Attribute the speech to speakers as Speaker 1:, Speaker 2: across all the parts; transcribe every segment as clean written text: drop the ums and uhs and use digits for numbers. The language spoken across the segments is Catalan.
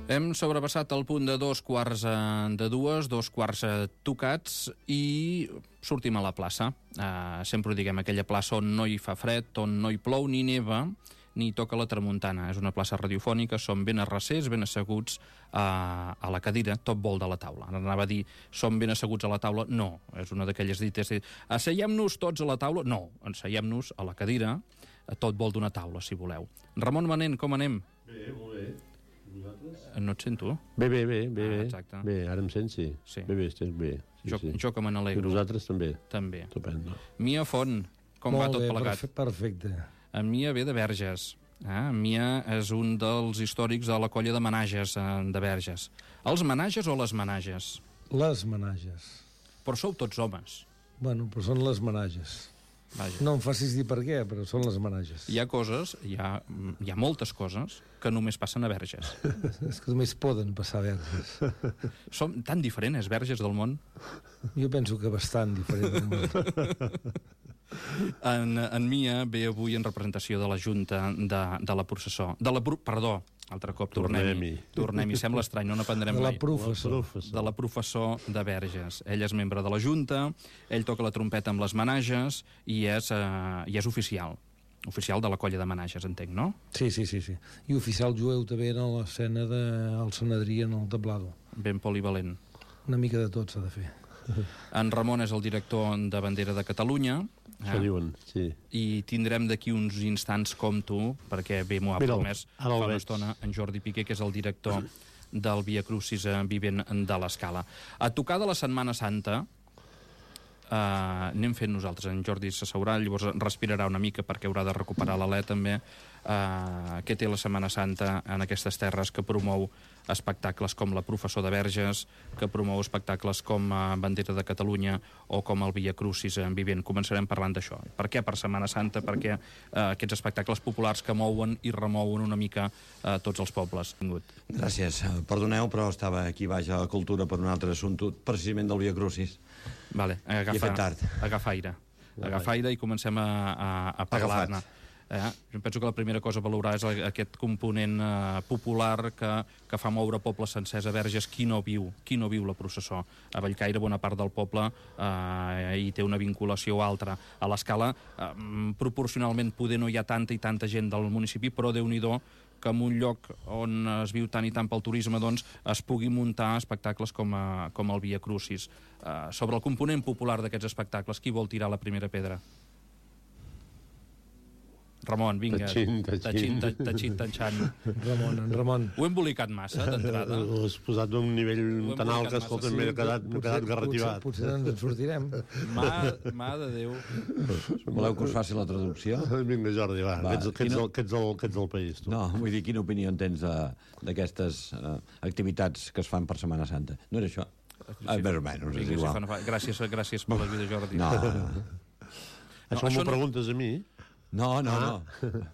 Speaker 1: Hem sobrepassat el punt de 2:15, 2:15 tocats, i sortim a la plaça. Sempre ho diguem, aquella plaça on no hi fa fred, on no hi plou ni neva, ni toca la tramuntana. És una plaça radiofònica, som ben arrecers, ben asseguts a la cadira, tot vol de la taula. Ara anava a dir, som ben asseguts a la taula? No, és una d'aquelles dites. Asseiem-nos tots a la taula? No, asseiem-nos a la cadira, tot vol d'una taula, si voleu. Ramon Manent, com anem?
Speaker 2: Bé, molt bé. Vosaltres?
Speaker 1: No et sento.
Speaker 2: Bé.
Speaker 1: Exacte.
Speaker 2: Bé, ara em sents, sí.
Speaker 1: Sí.
Speaker 2: Bé, estic bé. Sí,
Speaker 1: Jo que me n'alegro.
Speaker 2: I vosaltres també?
Speaker 1: També.
Speaker 2: Estupendo.
Speaker 1: Mia Font, com va tot plegat?
Speaker 3: Perfecte.
Speaker 1: En Mia ve de Verges. En Mia és un dels històrics de la colla de Menages de Verges. Els Menages o les Menages?
Speaker 3: Les Menages.
Speaker 1: Però sou tots homes.
Speaker 3: Bueno, però són les Menages.
Speaker 1: Vaja.
Speaker 3: No em facis dir per què, però són les Menages.
Speaker 1: Hi ha coses, hi ha moltes coses que només passen a Verges.
Speaker 3: És que només poden passar a Verges.
Speaker 1: Som tan diferents, Verges del món.
Speaker 3: Jo penso que bastant diferent del món.
Speaker 1: En Mia ve avui en representació de la Junta de la Processó. Perdó, altre cop, tornem-hi. Sembla estrany, no n'aprendrem mai.
Speaker 3: De la professor.
Speaker 1: De la professor de Verges. Ell és membre de la Junta, ell toca la trompeta amb les Menages i és oficial. Oficial de la colla de Menages, entenc, no?
Speaker 3: Sí. I oficial jueu també en l'escena del Sanedrí en el tablado.
Speaker 1: Ben polivalent.
Speaker 3: Una mica de tot s'ha de fer.
Speaker 1: En Ramon és el director de Bandera de Catalunya.
Speaker 2: Això diuen, sí.
Speaker 1: I tindrem d'aquí uns instants com tu, perquè bé m'ho ha promès fa una estona en Jordi Piqué, que és el director del Via Crucis Vivent de l'Escala. A tocar de la Setmana Santa anem fent nosaltres. En Jordi s'asseurà, llavors respirarà una mica perquè haurà de recuperar l'alè també. Què té la Setmana Santa en aquestes terres, que promou espectacles com la Professor de Verges, que promou espectacles com Bandera de Catalunya o com el Via Crucis Vivent. Començarem parlant d'això. Per què per Setmana Santa? Perquè aquests espectacles populars que mouen i remouen una mica tots els pobles.
Speaker 4: Gràcies. Perdoneu, però estava aquí baix a la cultura per un altre assumpte, precisament del Via Crucis.
Speaker 1: Vale, agafa aire i comencem a parlar-ne. Jo penso que la primera cosa a valorar és aquest component popular que fa moure pobles sencers a Verges. Qui no viu la processó? A Bellcaire bona part del poble hi té una vinculació altra. A l'Escala proporcionalment poder no hi ha tanta i tanta gent del municipi, però Déu-n'hi-do que en un lloc on es viu tant i tant pel turisme doncs es pugui muntar espectacles com el Via Crucis. Sobre el component popular d'aquests espectacles, qui vol tirar la primera pedra? Ramon, vinga. Tatxin.
Speaker 3: Ramon.
Speaker 1: Ho he embolicat massa, d'entrada.
Speaker 2: Ho has posat d'un nivell tan alt que, escolta, m'he quedat garrativat.
Speaker 3: Potser ens en sortirem.
Speaker 1: Mà de Déu.
Speaker 4: Voleu que us faci la traducció?
Speaker 2: Vinga, Jordi, va. Que ets del país, tu.
Speaker 4: No, vull dir, quina opinió en tens d'aquestes activitats que es fan per Setmana Santa? No era això? Més o menys, és igual.
Speaker 1: Gràcies per l'ajuda, Jordi.
Speaker 4: No.
Speaker 2: Això m'ho preguntes a mi?
Speaker 4: No.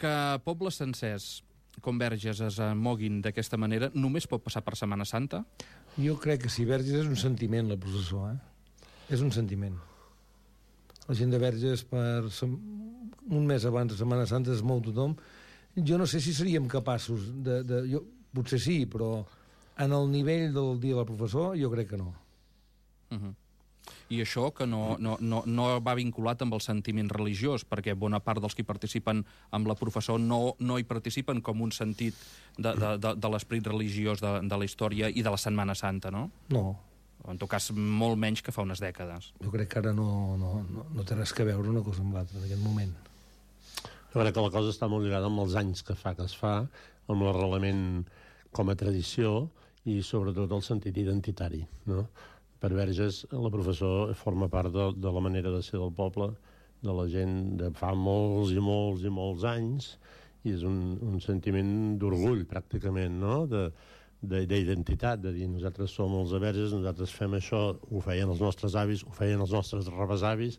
Speaker 1: Que pobles sencers com Verges es moguin d'aquesta manera només pot passar per Setmana Santa?
Speaker 3: Jo crec que sí, Verges és un sentiment, la processó, És un sentiment. La gent de Verges un mes abans de Setmana Santa es mou tothom. Jo no sé si seríem capaços potser sí, però en el nivell del dia del professor jo crec que no.
Speaker 1: I això que no va vinculat amb el sentiment religiós, perquè bona part dels que participen amb la professor no hi participen com un sentit de l'esperit religiós de la història i de la Setmana Santa, no?
Speaker 3: No.
Speaker 1: En tot cas, molt menys que fa unes dècades.
Speaker 3: Jo crec que ara no té res que veure una cosa amb l'altra en aquest moment.
Speaker 2: Jo crec que la cosa està molt lligada amb els anys que es fa, amb l'arrelament com a tradició i sobretot el sentit identitari, no? Per Verges, la professor forma part de la manera de ser del poble, de la gent de fa molts i molts i molts anys, i és un sentiment d'orgull, pràcticament, no?, d'identitat, de dir, nosaltres som els de Verges, nosaltres fem això, ho feien els nostres avis, ho feien els nostres rebesavis,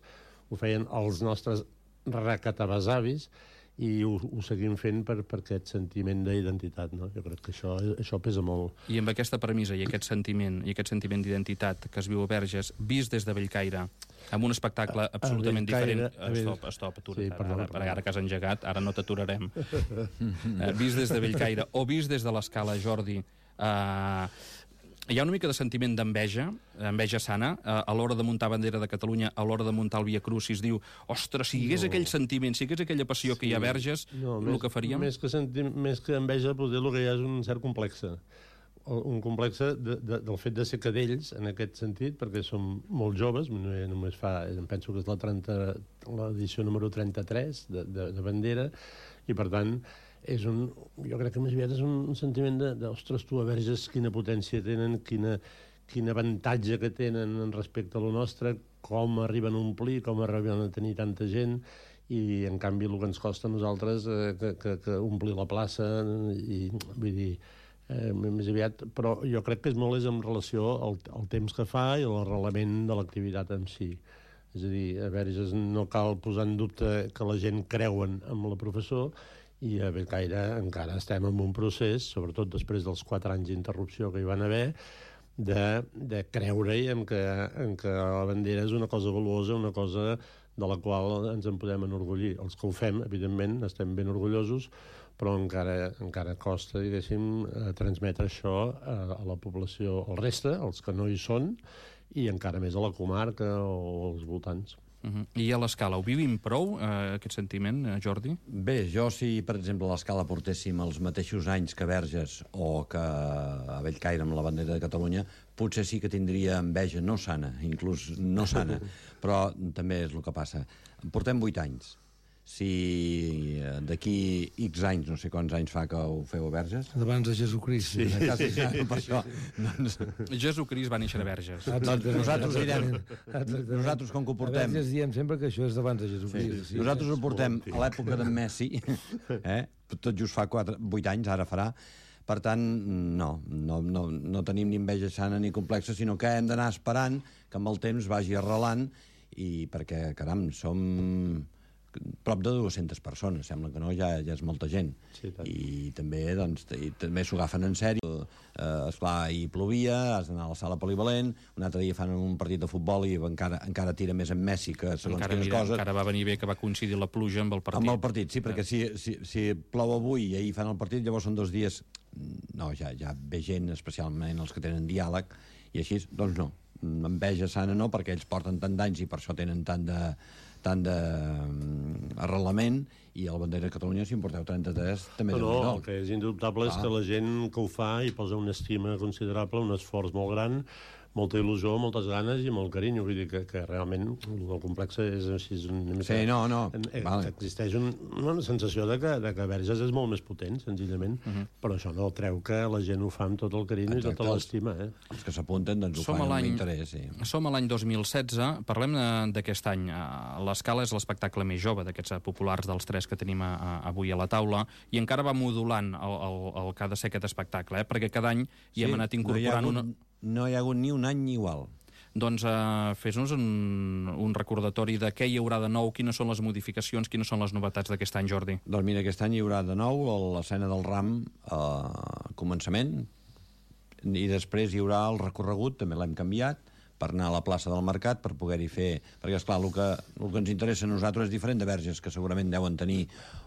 Speaker 2: ho feien els nostres recatabesavis, i ho seguim fent per aquest sentiment d'identitat, no? Jo crec que això pesa molt.
Speaker 1: I amb aquesta premissa i aquest sentiment d'identitat que es viu a Verges, vist des de Bellcaire, amb un espectacle absolutament diferent... Stop, atura't. Sí, ara que has engegat, ara no t'aturarem. Vist des de Bellcaire o vist des de l'Escala, Jordi, hi ha una mica de sentiment d'enveja, enveja sana, a l'hora de muntar bandera de Catalunya, a l'hora de muntar el Via Crucis, diu, ostres, si hi hagués aquell sentiment, si hi hagués aquella passió que hi ha a Verges, el que faríem...
Speaker 2: Més que enveja, potser el que hi ha és un cert complexe. Un complexe del fet de ser cadells, en aquest sentit, perquè som molt joves, només em penso que és l'edició número 33 de bandera, i per tant jo crec que més aviat és un sentiment ostres, tu a Verges, quina potència tenen, quin avantatge que tenen respecte a lo nostre, com arriben a omplir, com arriben a tenir tanta gent, i en canvi el que ens costa a nosaltres que omplir la plaça, i vull dir, més aviat, però jo crec que és molt en relació al temps que fa i a l'arrelament de l'activitat en si. És a dir, a Verges no cal posar en dubte que la gent creuen en la professor, i a Bellcaire encara estem en un procés, sobretot després dels 4 anys d'interrupció que hi van haver, de creure-hi en que la bandera és una cosa valuosa, una cosa de la qual ens en podem enorgullir. Els que ho fem, evidentment, estem ben orgullosos, però encara costa, diguéssim, transmetre això a la població, al reste, els que no hi són, i encara més a la comarca o als voltants.
Speaker 1: I a l'Escala, ho vivim prou, aquest sentiment, Jordi?
Speaker 4: Bé, jo si, per exemple, a l'Escala portéssim els mateixos anys que Verges o que a Bellcaire amb la bandera de Catalunya, potser sí que tindria enveja, no sana, inclús no sana, però també és el que passa. Portem 8 anys. Si d'aquí X anys, no sé quants anys fa que ho feu a Verges...
Speaker 3: Abans de Jesucrist.
Speaker 4: Sí, per això.
Speaker 1: Jesucrist va néixer a Verges.
Speaker 4: Doncs nosaltres direm... Nosaltres, com que ho portem...
Speaker 3: A Verges diem sempre que això és d'abans de Jesucrist.
Speaker 4: Sí. Nosaltres ho portem a l'època d'en Messi, tot just fa 8 anys, ara farà. Per tant, no tenim ni enveja sana ni complexa, sinó que hem d'anar esperant que amb el temps vagi arrelant, i perquè, caram, som prop de 200 persones, sembla que no, ja és molta gent.
Speaker 2: Sí,
Speaker 4: I també s'ho agafen en sèrio. Esclar, hi plovia, has d'anar a la sala polivalent, un altre dia fan un partit de futbol i encara tira més en Messi que segons quines coses.
Speaker 1: Encara va venir bé que va coincidir la pluja amb el partit.
Speaker 4: Amb el partit, sí, perquè si plou avui i ahir fan el partit, llavors són 2 dies... No, ja ve gent, especialment els que tenen diàleg, i així, doncs no. Enveja sana no, perquè ells porten tant d'anys i per això tenen tant d'arrelament, i a la bandera de Catalunya, si en porteu 33, també
Speaker 2: no, el que és indubtable és que la gent que ho fa hi posa una estima considerable, un esforç molt gran, molta il·lusió, moltes ganes i molt carinyo. Vull dir que realment el complex és així...
Speaker 4: Sí, vale.
Speaker 2: Existeix una sensació de que Verges és molt més potent, senzillament, però això no treu que la gent ho fa amb tot el carinyo i tota l'estima.
Speaker 4: Els que s'apunten doncs ho fan amb interès. Sí.
Speaker 1: Som a l'any 2016, parlem d'aquest any. L'Escala és l'espectacle més jove d'aquests populars dels 3 que tenim avui a la taula, i encara va modulant el que ha de ser aquest espectacle, perquè cada any hi hem anat incorporant
Speaker 4: No hi ha hagut ni un any igual.
Speaker 1: Doncs fes-nos un recordatori de què hi haurà de nou, quines són les modificacions, quines són les novetats d'aquest any, Jordi.
Speaker 4: Doncs mira, aquest any hi haurà de nou l'escena del ram al començament, i després hi haurà el recorregut, també l'hem canviat, per anar a la plaça del Mercat, per poder-hi fer... Perquè, esclar, el que ens interessa a nosaltres és diferent de Verges, que segurament deuen tenir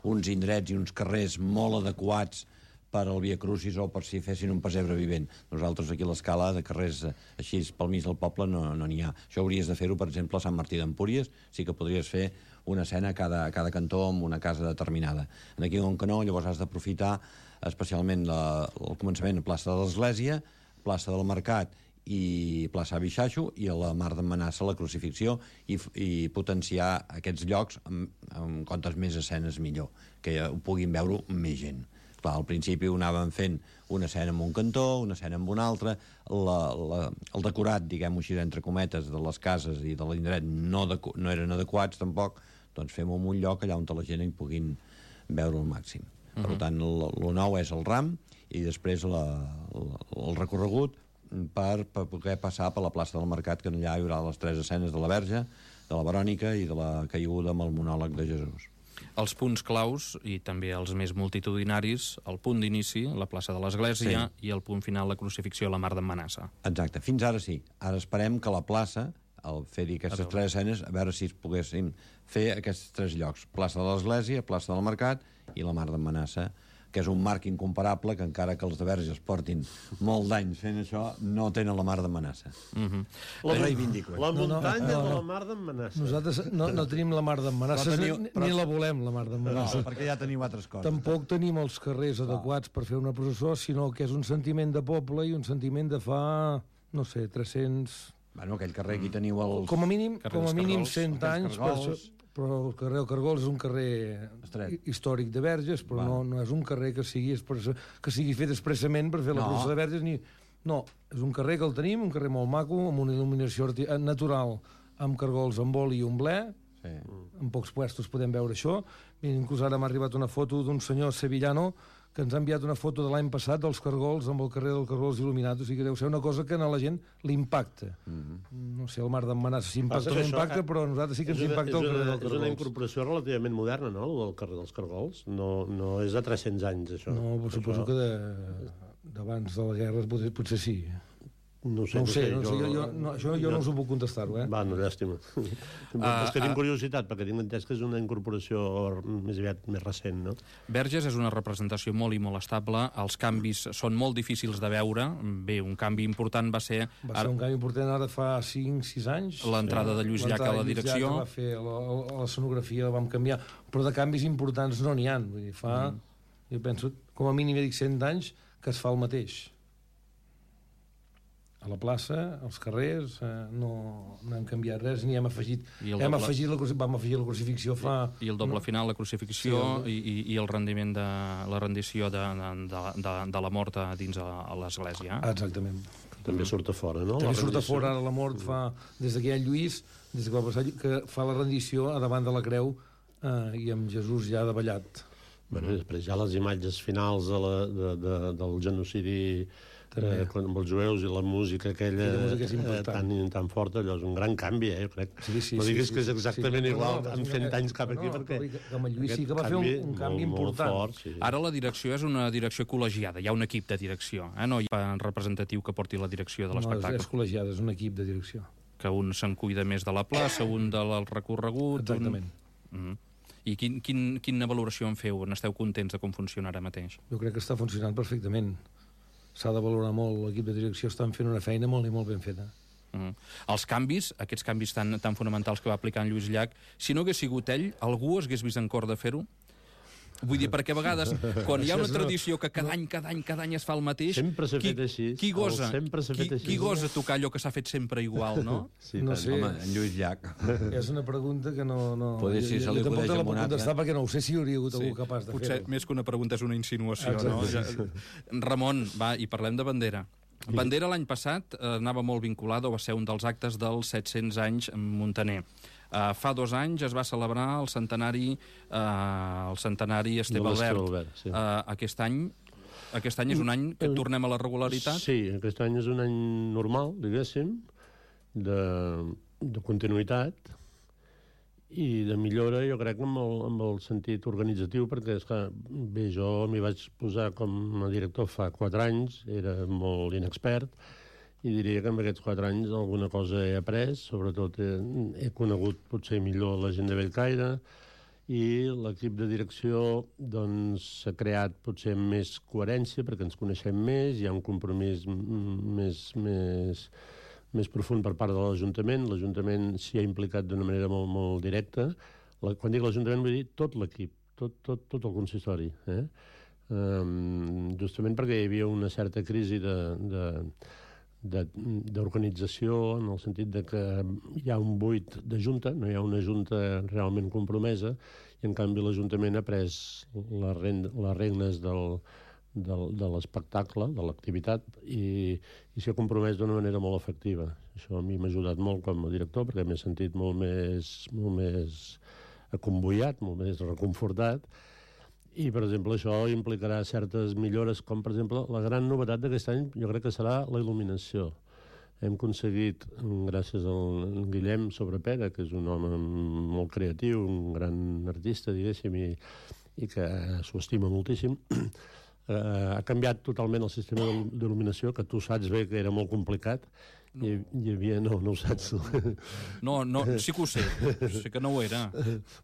Speaker 4: uns indrets i uns carrers molt adequats per al Via Crucis o per si fessin un pessebre vivent. Nosaltres aquí a l'Escala, de carrers així pel mig del poble, no n'hi ha. Això hauries de fer-ho, per exemple, a Sant Martí d'Empúries, sí que podries fer una escena a cada cantó amb una casa determinada. Aquí, on que no, llavors has d'aprofitar especialment el començament a plaça de l'Església, plaça del Mercat i plaça Abixaixo, i a la Mar d'en Manassa la Crucifixió, i potenciar aquests llocs amb quantes més escenes millor, que ho puguin veure més gent. Clar, al principi ho anàvem fent una escena en un cantó, una escena en un altre, el decorat, diguem-ho així, entre cometes, de les cases i de l'indret no eren adequats tampoc, doncs fem-ho en un lloc allà on la gent hi puguin veure al màxim. Per tant, el nou és el ram, i després el recorregut per poder passar per la plaça del Mercat, que allà hi haurà les 3 escenes de la Verge, de la Verònica i de la caiguda amb el monòleg de Jesús.
Speaker 1: Els punts claus, i també els més multitudinaris, el punt d'inici, la plaça de l'Església, i el punt final, la crucifixió a la Mar d'en Manassa.
Speaker 4: Exacte, fins ara sí. Ara esperem que la plaça, al fer-hi aquestes 3 escenes, a veure si es poguessin fer aquests 3 llocs. Plaça de l'Església, plaça del Mercat i la Mar d'en Manassa, que és un marc incomparable, que encara que els de Verges portin molt d'anys fent això, no tenen la Mar d'en Manassa. Reivindico.
Speaker 2: La muntanya de la Mar d'en Manassa.
Speaker 3: Nosaltres no tenim la Mar d'en Manassa, ni la volem, la Mar d'en Manassa.
Speaker 4: No, perquè ja teniu altres coses.
Speaker 3: Tampoc tenim els carrers adequats per fer una processó, sinó que és un sentiment de poble i un sentiment de fa, no sé, 300...
Speaker 4: Bueno, aquell carrer aquí teniu els...
Speaker 3: Com a mínim 100 anys, però el carrer del Cargols és un carrer històric de Verges, però no és un carrer que sigui fet expressament per fer la processó de Verges, ni... No, és un carrer que el tenim, un carrer molt maco, amb una il·luminació natural, amb cargols amb oli i un ble. En pocs puestos podem veure això. Inclús ara m'ha arribat una foto d'un senyor sevillano que ens ha enviat una foto de l'any passat dels cargols amb el carrer dels Cargols il·luminat. O sigui que deu ser una cosa que a la gent li impacta. No sé, el Mar d'en Manassa s'impacta o no impacta, però a nosaltres sí que ens impacta el carrer dels Cargols.
Speaker 2: És una incorporació relativament moderna, no?, el del carrer dels Cargols. No és de 300 anys, això.
Speaker 3: No, suposo que d'abans de la guerra potser sí.
Speaker 2: No ho sé.
Speaker 3: Això jo no us ho puc contestar-ho,
Speaker 2: Va, no, llàstima. És que tinc curiositat, perquè tinc entès que és una incorporació més aviat més recent, no?
Speaker 1: Verges és una representació molt i molt estable. Els canvis són molt difícils de veure. Bé, un canvi important va ser...
Speaker 3: Va ser un canvi important ara fa 5-6 anys.
Speaker 1: L'entrada de Lluís Llach a la direcció.
Speaker 3: Va fer l'escenografia, la vam canviar. Però de canvis importants no n'hi ha. Vull dir, jo penso, com a mínim, 100 anys que es fa el mateix. A la plaça, als carrers, no hem canviat res, ni hem afegit... Vam afegir la crucifixió fa...
Speaker 1: I el doble final, la crucifixió, i el rendiment de la rendició de la mort dins a l'església.
Speaker 3: Exactament.
Speaker 2: També surt a fora, no?
Speaker 3: També surt a fora, ara la mort fa... Des que hi ha Lluís, des que va passar, que fa la rendició a davant de la creu i amb Jesús ja davallat.
Speaker 2: Bueno, després hi ha les imatges finals del genocidi amb els jueus i la música aquella tan forta, allò és un gran canvi, jo crec. No diguis que és exactament igual amb 100 anys cap aquí, perquè
Speaker 3: amb el Lluís sí que va fer un canvi important.
Speaker 1: Ara la direcció és una direcció col·legiada, hi ha un equip de direcció, no hi ha un representatiu que porti la direcció de l'espectacle.
Speaker 3: No, és col·legiada, és un equip de direcció.
Speaker 1: Que un se'n cuida més de la plaça, un del recorregut...
Speaker 3: Exactament.
Speaker 1: I quina valoració en feu? N'esteu contents de com funciona ara mateix?
Speaker 3: Jo crec que està funcionant perfectament. S'ha de valorar molt, l'equip de direcció estan fent una feina molt i molt ben feta.
Speaker 1: Els canvis, aquests canvis tan fonamentals que va aplicar en Lluís Llach, si no hagués sigut ell, algú hagués vist en cor de fer-ho? Vull dir, perquè a vegades, quan hi ha una tradició que cada any es fa el mateix...
Speaker 2: Sempre s'ha fet així.
Speaker 1: Qui gosa tocar allò que s'ha fet sempre igual, no?
Speaker 3: No sé.
Speaker 4: Home, en Lluís Llach.
Speaker 3: És una pregunta que no...
Speaker 4: Poder si se li acudeix amb un altre.
Speaker 3: Jo tampoc te la puc contestar perquè no ho sé si hi hauria hagut algú capaç de fer-ho.
Speaker 1: Potser més que una pregunta és una insinuació, no? Ramon, va, i parlem de Bandera. Bandera l'any passat anava molt vinculada, o va ser un dels actes dels 700 anys Muntaner. Fa 2 anys es va celebrar el centenari Esteve Albert. Aquest any és un any que tornem a la regularitat?
Speaker 2: Sí, aquest any és un any normal, diguéssim, de continuïtat i de millora, jo crec, amb el sentit organitzatiu, perquè, esclar, bé, jo m'hi vaig posar com a director fa 4 anys, era molt inexpert, i diria que en aquests 4 anys alguna cosa he après, sobretot he conegut potser millor la gent de Bellcaire, i l'equip de direcció doncs s'ha creat potser amb més coherència perquè ens coneixem més, hi ha un compromís més profund per part de l'Ajuntament. L'Ajuntament s'hi ha implicat d'una manera molt, molt directa. Quan dic l'Ajuntament vull dir tot l'equip, tot el consistori. Justament perquè hi havia una certa crisi d'organització, en el sentit de que hi ha un buit de junta, no hi ha una junta realment compromesa, i en canvi l'Ajuntament ha pres les regnes de l'espectacle, de l'activitat, i s'hi ha compromès d'una manera molt efectiva. Això a mi m'ha ajudat molt com a director, perquè m'he sentit molt més acomboiat, molt més reconfortat. I, per exemple, això implicarà certes millores, com, per exemple, la gran novetat d'aquest any jo crec que serà la il·luminació. hem aconseguit, gràcies al Guillem Sobrepera, que és un home molt creatiu, un gran artista, diguéssim, i que s'ho estima moltíssim, ha canviat totalment el sistema d'il·luminació, que tu saps bé que era molt complicat. Hi havia... No ho saps.
Speaker 1: No, sí que ho sé. Sé que no ho era.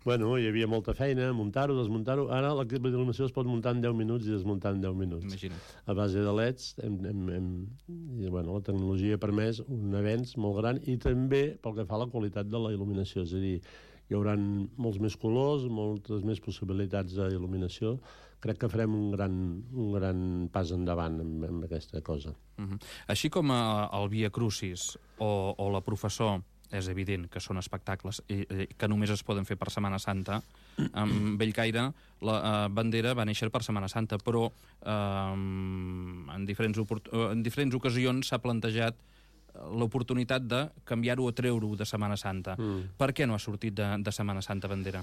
Speaker 2: Bueno, hi havia molta feina, muntar-ho, desmuntar-ho. Ara l'equip d'il·luminació es pot muntar en 10 minuts i desmuntar en 10 minuts.
Speaker 1: Imagina't.
Speaker 2: A base de LEDs, la tecnologia ha permès un avenç molt gran i també pel que fa a la qualitat de la il·luminació. És a dir, hi haurà molts més colors, moltes més possibilitats d'il·luminació. Crec que farem un gran pas endavant amb aquesta cosa.
Speaker 1: Així com el Via Crucis o la Professor, és evident que són espectacles que només es poden fer per Setmana Santa, amb Bellcaire la bandera va néixer per Setmana Santa, però en diferents ocasions s'ha plantejat l'oportunitat de canviar-ho o treure-ho de Setmana Santa. Per què no ha sortit de Setmana Santa bandera?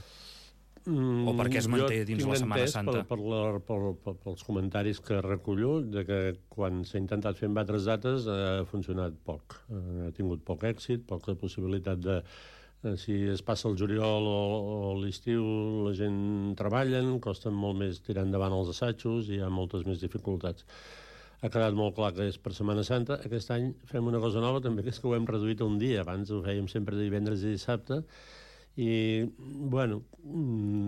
Speaker 1: O per què es manté dins la Setmana Santa?
Speaker 2: Pels comentaris que recullo, de que quan s'ha intentat fer en altres dates ha funcionat poc. Ha tingut poc èxit, poca possibilitat de... Si es passa el juliol o l'estiu, la gent treballen, costa molt més tirar endavant els assajos i hi ha moltes més dificultats. Ha quedat molt clar que és per Setmana Santa. Aquest any fem una cosa nova també, que és que ho hem reduït a un dia. Abans ho fèiem sempre divendres i dissabte, i, bueno,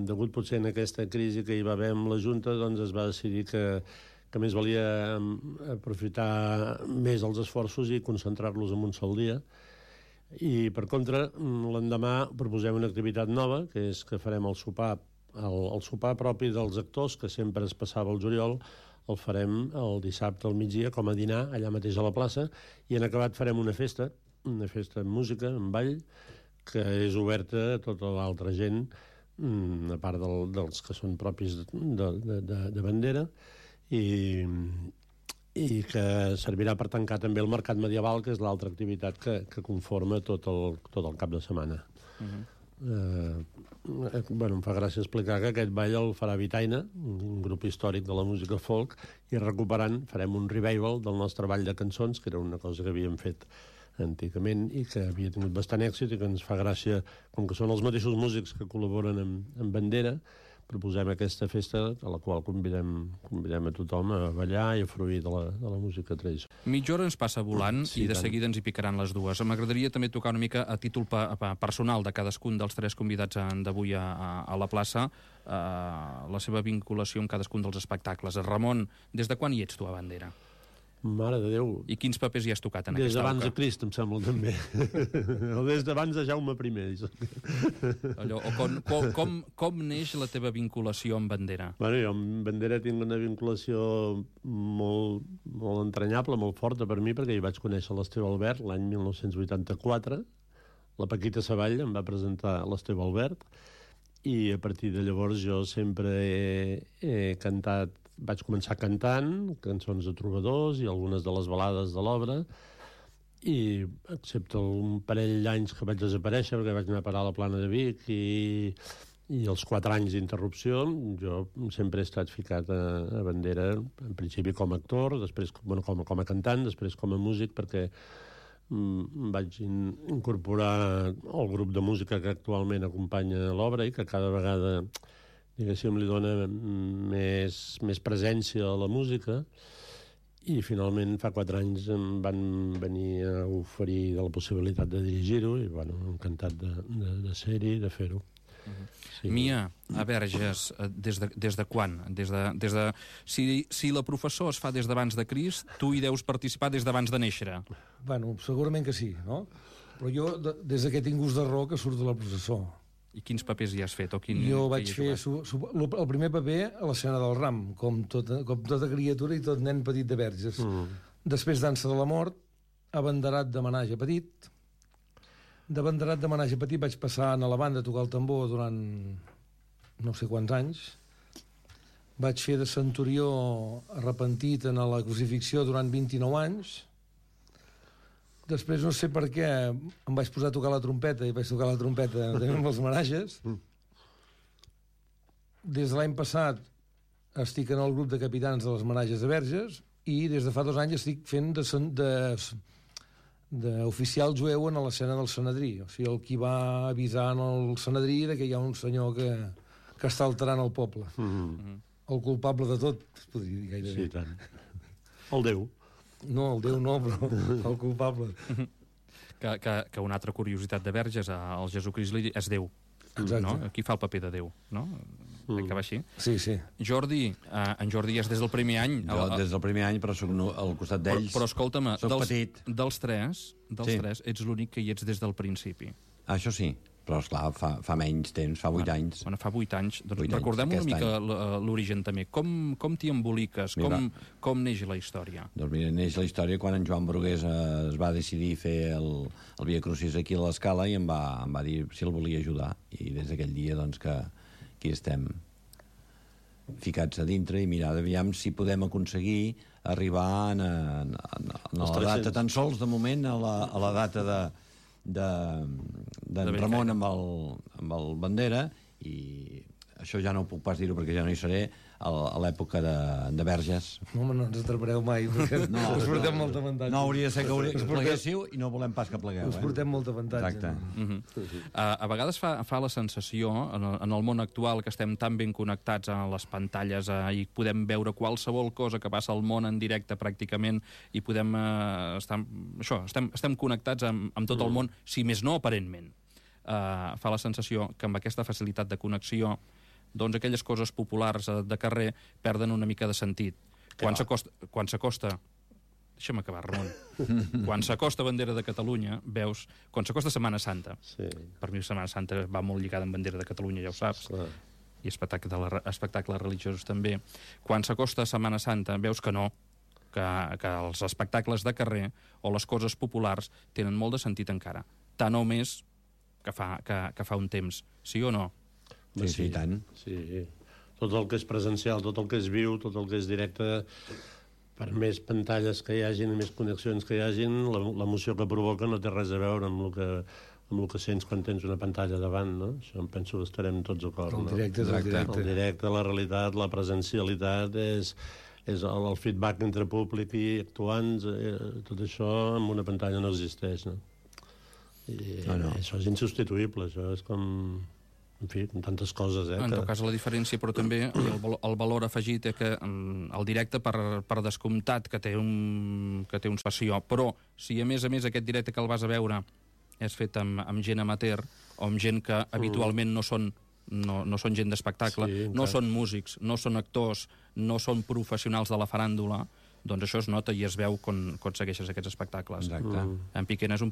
Speaker 2: degut potser en aquesta crisi que hi va haver amb la Junta, doncs es va decidir que més valia aprofitar més els esforços i concentrar-los en un sol dia. I, per contra, l'endemà proposem una activitat nova, que és que farem el sopar propi dels actors, que sempre es passava al juliol, el farem el dissabte al migdia com a dinar allà mateix a la plaça, i en acabat farem una festa amb música, amb ball, que és oberta a tota l'altra gent, a part dels que són propis de bandera, i que servirà per tancar també el mercat medieval, que és l'altra activitat que conforma tot el cap de setmana. Em fa gràcia explicar que aquest ball el farà Vitaina, un grup històric de la música folk, i recuperant farem un revival del nostre ball de cançons, que era una cosa que havíem fet antigament i que havia tingut bastant èxit i que ens fa gràcia, com que són els mateixos músics que col·laboren amb Bandera, proposem aquesta festa a la qual convidem a tothom a ballar i a fruir de la música tradicional.
Speaker 1: Mitja hora ens passa volant i de seguida ens hi picaran les dues. M'agradaria també tocar una mica a títol personal de cadascun dels tres convidats d'avui a la plaça la seva vinculació amb cadascun dels espectacles. Ramon, des de quan hi ets tu a Bandera?
Speaker 2: Mare de Déu.
Speaker 1: I quins papers hi has tocat en aquesta
Speaker 2: Des d'abans de Crist, em sembla, també. O des d'abans de Jaume I.
Speaker 1: Com neix la teva vinculació amb Bandera?
Speaker 2: Bueno, jo amb Bandera tinc una vinculació molt entranyable, molt forta per mi, perquè hi vaig conèixer l'Esteve Albert l'any 1984. La Paquita Savall em va presentar l'Esteve Albert, i a partir de llavors jo sempre he cantat. Vaig començar cantant cançons de trobadors i algunes de les balades de l'obra, i excepte un parell d'anys que vaig desaparèixer perquè vaig anar a parar a la Plana de Vic i els 4 anys d'interrupció, jo sempre he estat ficat a Bandera, en principi com a actor, després com a cantant, després com a músic, perquè vaig incorporar el grup de música que actualment acompanya l'obra i que cada vegada, diguéssim, li dona més presència a la música, i finalment fa 4 anys em van venir a oferir de la possibilitat de dirigir-ho i, bueno, encantat de ser-hi, de fer-ho.
Speaker 1: Sí. Mia, a Verges, des de quan? Si la Professor es fa des d'abans de Crist, tu hi deus participar des d'abans de néixer.
Speaker 3: Bueno, segurament que sí, no? Però jo, des que tinc gust de raó, que surto de la processó.
Speaker 1: I quins papers hi has fet?
Speaker 3: Jo vaig fer el primer paper a l'escena del Ram, com tota criatura i tot nen petit de Verges. Després Dansa de la Mort, abanderat de Menage Petit. D'abanderat de Menage Petit vaig passar a la banda a tocar el tambor durant no sé quants anys. Vaig fer de centurió arrepentit en la crucifixió durant 29 anys. Després, no sé per què, em vaig posar a tocar la trompeta i vaig tocar la trompeta també amb els Menages. Des de l'any passat estic en el grup de capitans de les Menages de Verges i des de fa 2 anys estic fent d'oficial jueu en l'escena del Sanedrí. O sigui, el qui va avisar en el Sanedrí de que hi ha un senyor que està alterant el poble. El culpable de tot, es podria dir gairebé.
Speaker 2: Sí, tant. El Déu.
Speaker 3: No, el Déu no, però el culpable.
Speaker 1: Que una altra curiositat de Verges, el Jesucrist és Déu.
Speaker 3: Exacte.
Speaker 1: No? Qui fa el paper de Déu, no? Que va així.
Speaker 3: Sí, sí.
Speaker 1: Jordi, en Jordi és des del primer any.
Speaker 4: Jo des del primer any, però soc al costat d'ells.
Speaker 1: Però escolta'm,
Speaker 4: soc petit.
Speaker 1: dels tres, ets l'únic que hi ets des del principi.
Speaker 4: Això sí, però esclar, fa menys temps, fa 8 anys.
Speaker 1: Bueno, fa 8 anys. Doncs
Speaker 4: 8
Speaker 1: recordem
Speaker 4: anys,
Speaker 1: una mica l'origen també. Com t'hi emboliques? Com neix la història?
Speaker 4: Doncs mira, neix la història quan en Joan Brugués es va decidir fer el Via Crucis aquí a l'Escala i em va dir si el volia ajudar. I des d'aquell dia, doncs, que aquí estem ficats a dintre i mirar aviam si podem aconseguir arribar a la data, tan sols de moment a la data d'en Ramon amb el Bandera, i això ja no ho puc pas dir-ho perquè ja no hi seré, a l'època de Verges.
Speaker 3: No, home, no ens atrapareu mai, perquè us portem molta avantatge.
Speaker 4: No, hauria de ser que pleguéssiu i no volem pas que plegueu.
Speaker 3: Us portem molta avantatge.
Speaker 4: Exacte.
Speaker 1: A vegades fa la sensació, en el món actual, que estem tan ben connectats a les pantalles i podem veure qualsevol cosa que passa al món en directe pràcticament i podem estem connectats amb tot el món, si més no aparentment. Fa la sensació que amb aquesta facilitat de connexió doncs aquelles coses populars de carrer perden una mica de sentit. Quan s'acosta... Deixa'm acabar, Ramon. Quan s'acosta Bandera de Catalunya, veus... Quan s'acosta Setmana Santa, per mi Setmana Santa va molt lligada amb Bandera de Catalunya, ja ho saps, i espectacles religiosos també. Quan s'acosta Setmana Santa, veus que no, que els espectacles de carrer o les coses populars tenen molt de sentit encara. Tant o més que fa un temps. Sí o no?
Speaker 4: Sí, tant.
Speaker 2: Sí. Tot el que és presencial, tot el que és viu, tot el que és directe, per més pantalles que hi hagin i més connexions que hi hagin, l'emoció que provoca no té res a veure amb el que sents quan tens una pantalla davant, no? Això em penso que estarem tots d'acord.
Speaker 3: El directe és el directe.
Speaker 2: El directe, la realitat, la presencialitat, és el feedback entre públic i actuants, tot això amb una pantalla no existeix, no? I això és insubstituïble, això és com... En fi, tantes coses,
Speaker 1: En tot cas, la diferència, però també el valor afegit és que el directe, per descomptat, que té un passió, però si a més aquest directe que el vas a veure és fet amb gent amateur o amb gent que habitualment no són gent d'espectacle, no són músics, no són actors, no són professionals de la faràndula, doncs això es nota i es veu quan segueixes aquests espectacles.
Speaker 4: Exacte.
Speaker 1: En Piquena és un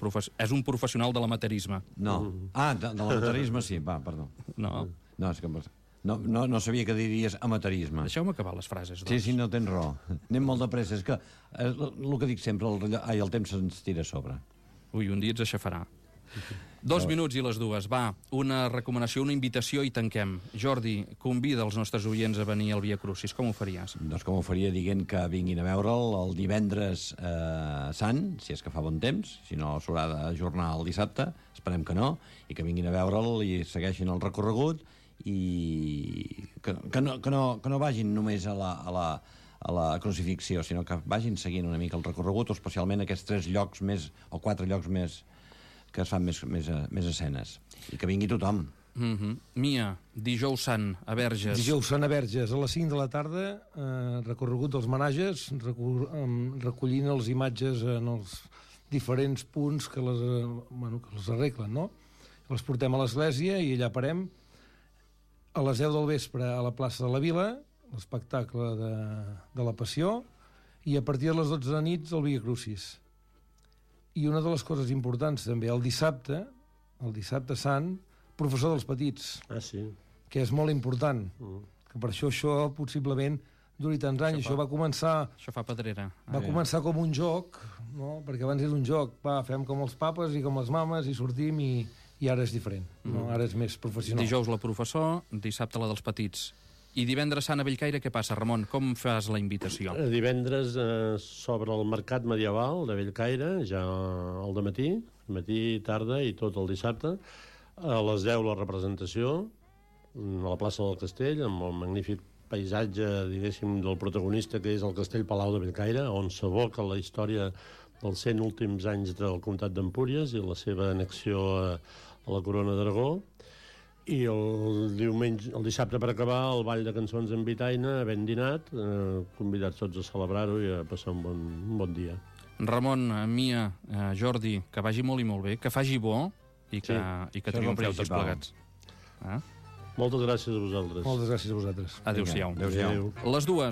Speaker 1: professional de l'amateurisme.
Speaker 4: No. De l'amateurisme sí, perdó.
Speaker 1: No.
Speaker 4: No, és que... No sabia que diries amateurisme.
Speaker 1: Deixeu-me acabar les frases, doncs.
Speaker 4: Sí, no tens raó. Anem molt de pressa. És que el que dic sempre, el temps se'ns tira a sobre.
Speaker 1: Ui, un dia ens aixafarà. 2 minuts i les 2. Va, una recomanació, una invitació i tanquem. Jordi, convida els nostres oients a venir al Via Crucis. Com ho faries?
Speaker 4: Doncs com ho faria dient que vinguin a veure'l el divendres sant, si és que fa bon temps, si no s'haurà d'ajornar el dissabte, esperem que no, i que vinguin a veure'l i segueixin el recorregut i que no vagin només a la crucifixió, sinó que vagin seguint una mica el recorregut, o especialment aquests 3 llocs més, o 4 llocs més, que es fan més escenes. I que vingui tothom.
Speaker 1: Mia, dijous sant a Verges.
Speaker 3: Dijous sant a Verges, a les 5 de la tarda, recorregut dels menages, recollint les imatges en els diferents punts que les arreglen, no? Les portem a l'església i allà parem. A les 10 del vespre a la plaça de la Vila, l'espectacle de la Passió, i a partir de les 12 de nit el Via Crucis. I una de les coses importants també, el dissabte sant, professor dels petits.
Speaker 2: Sí.
Speaker 3: Que és molt important. Que per això possiblement duri tants anys. Això va començar...
Speaker 1: Això fa pedrera.
Speaker 3: Va començar com un joc, no? Perquè abans era un joc. Fem com els papes i com les mames i sortim i ara és diferent. No? Ara és més professional.
Speaker 1: Dijous la professor, dissabte la dels petits. I divendres sant a Bellcaire, què passa, Ramon? Com fas la invitació?
Speaker 2: Divendres s'obre el mercat medieval de Bellcaire, ja al dematí, matí, tarda i tot el dissabte. A les 10 la representació a la plaça del Castell, amb el magnífic paisatge, diguéssim, del protagonista, que és el Castell Palau de Bellcaire, on s'evoca la història dels 100 últims anys del Comtat d'Empúries i la seva annexió a la Corona d'Aragó. I el dissabte per acabar el ball de cançons en Vitaina, havent dinat, convidats tots a celebrar-ho i a passar un bon dia.
Speaker 1: Ramon, Mia, Jordi, que vagi molt i molt bé, que faci bo i que triomfeu tots plegats.
Speaker 2: Moltes gràcies a vosaltres.
Speaker 3: Moltes gràcies a vosaltres.
Speaker 1: Adéu-siau.
Speaker 4: Adéu-siau.
Speaker 1: Les dues.